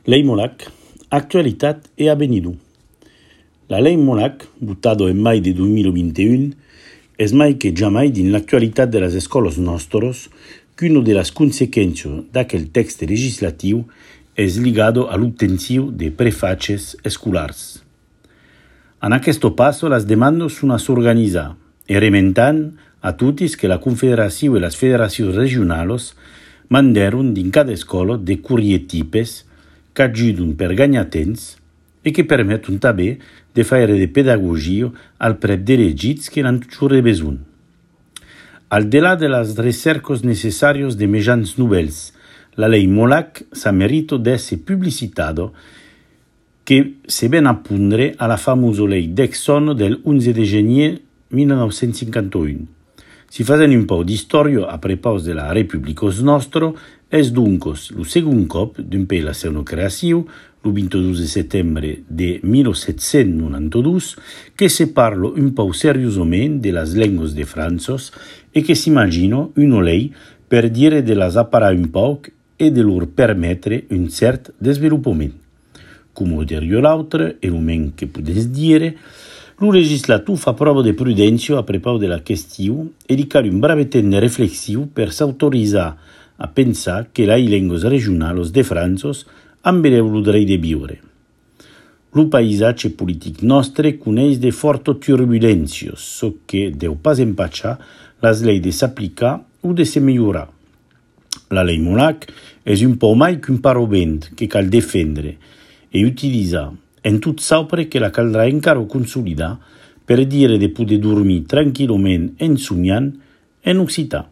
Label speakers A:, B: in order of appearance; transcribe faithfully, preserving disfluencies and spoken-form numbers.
A: Lei Molac, actualitat e avvenido. La Lei Molac, buttado en mai de dos mil veintiuno, es mai que jamais din l'actualitat de las escolas nostros qu'uno de las consequencias d'aquel texte legislatiu es ligado a l'obtenció de prefaces escolars. En questo passo las demandas son a s'organitzar e rementant a tutis que la Confederació e las federacions regionals mandaron din cada escola de courrier tipes que ajudun per gagnar temps e que permetun també de faire de pedagogia al prep d'elegits que n'han toujours besoin. Al delà de las recercos necessarios de mejans nouvelles, la lei Molac sa merito d'esse publicitado que se ven a pundre a la famosa lei d'Exxon del onze de gener mil nou-cents cinquanta-un. Si fazen un po' d'historia a prepaus de la Repubblica nostra, es duncos lo segon cop d'un pe la seva creació, lo ventidós de setembre de mil set-cents noranta-dos, que se parla un po' seriosament de las lenguas de Franços e que s'imagina una lei per dire de las aparar un poc e de lor permetre un cert desenvolupament. Come dirio l'altre, e lo men che podes dire, lo legislatur fa prova de prudència a prepaus de la qüestió e di cal un bravetent reflexiu per s'autoritzar a pensar que les lengues regionals de Franços han el dret de viure. Lo paisatge politic nostre coneix de fortes turbulències, so que deu pas empatxar les lleis de s'aplicar o de se millorar. La lei Molac és un po' mai qu'un paravent que cal defendre e utilitzar en tot saupre que la caldrà encara consolidar per dire de poder dormir tranquil·lament en somiant en occitan.